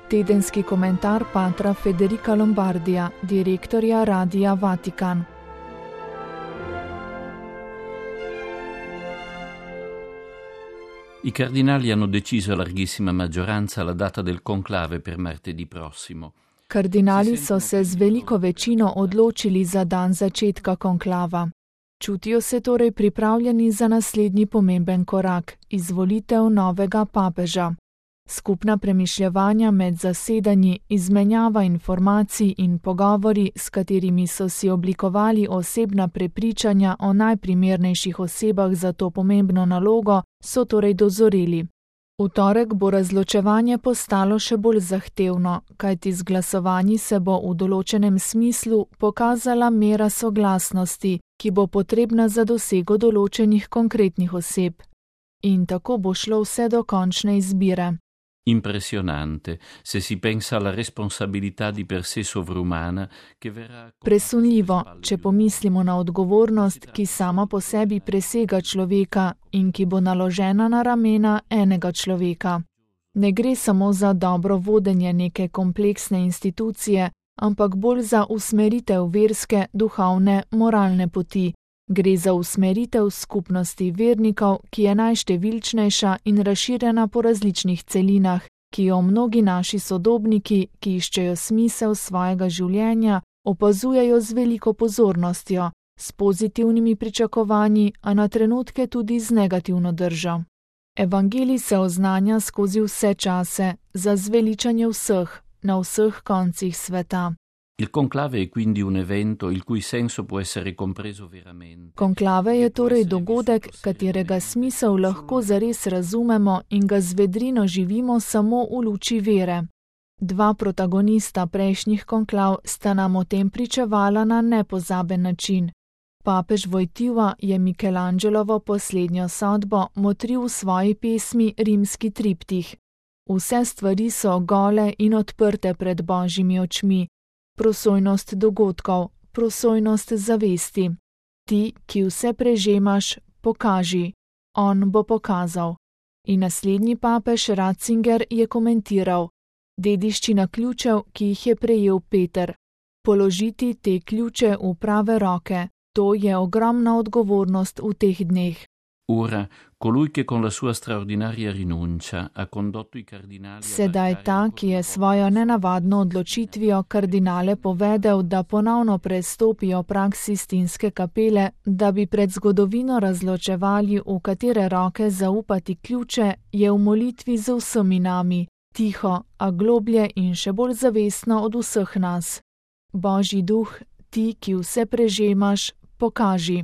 Tedenski komentar patra Federica Lombardija, direktorja Radia Vatikan. I cardinali hanno deciso a larghissima maggioranza la data del conclave per martedì prossimo. Kardinali so se z veliko večino odločili za dan začetka konklava. Čutijo se torej pripravljeni za naslednji pomemben korak, izvolitev novega papeža. Skupna premišljevanja med zasedanji, izmenjava informacij in pogovori, s katerimi so si oblikovali osebna prepričanja o najprimernejših osebah za to pomembno nalogo, so torej dozoreli. V torek bo razločevanje postalo še bolj zahtevno, kajti z glasovanji se bo v določenem smislu pokazala mera soglasnosti, ki bo potrebna za dosego določenih konkretnih oseb. In tako bo šlo vse do končne izbire. Impressionante, se si pensa alla responsabilità di per sé sovrumana che verrà... Presunljivo, če pomislimo na odgovornost, ki sama po sebi presega človeka in ki bo naložena na ramena enega človeka. Ne gre samo za dobro vodenje neke kompleksne institucije, ampak bolj za usmeritev verske, duhovne, moralne poti. Gre za usmeritev skupnosti vernikov, ki je najštevilčnejša in razširjena po različnih celinah, ki jo mnogi naši sodobniki, ki iščejo smisel svojega življenja, opazujejo z veliko pozornostjo, s pozitivnimi pričakovanji, a na trenutke tudi z negativno držo. Evangelij se oznanja skozi vse čase, za zveličanje vseh, na vseh koncih sveta. Il conclave è quindi un evento il cui senso può essere compreso veramente. Konklave je torej dogodek, katerega smisel lahko zares razumemo in ga z vedrino živimo samo v luči vere. Dva protagonista prejšnjih konklav sta nam o tem pričevala na nepozaben način. Papež Wojtyła je Michelangelovo poslednjo sodbo motril v svoji pesmi Rimski triptih. Vse stvari so gole in odprte pred Božjimi očmi. Prosojnost dogodkov, prosojnost zavesti. Ti, ki vse prežemaš, pokaži. On bo pokazal. In naslednji papež Ratzinger je komentiral: dediščina ključev, ki jih je prejel Peter. Položiti te ključe v prave roke, to je ogromna odgovornost v teh dneh. Ora, colui che con la sua straordinaria rinuncia ha condotto i cardinali... Sedaj ta, ki je svojo nenavadno odločitvijo kardinale povedal, da ponovno prestopijo prag Sistinske kapele, da bi pred zgodovino razločevali, v katere roke zaupati ključe, je v molitvi z vsemi nami, tiho, a globlje in še bolj zavestno od vseh nas. Božji duh, ti, ki vse prežemaš, pokaži.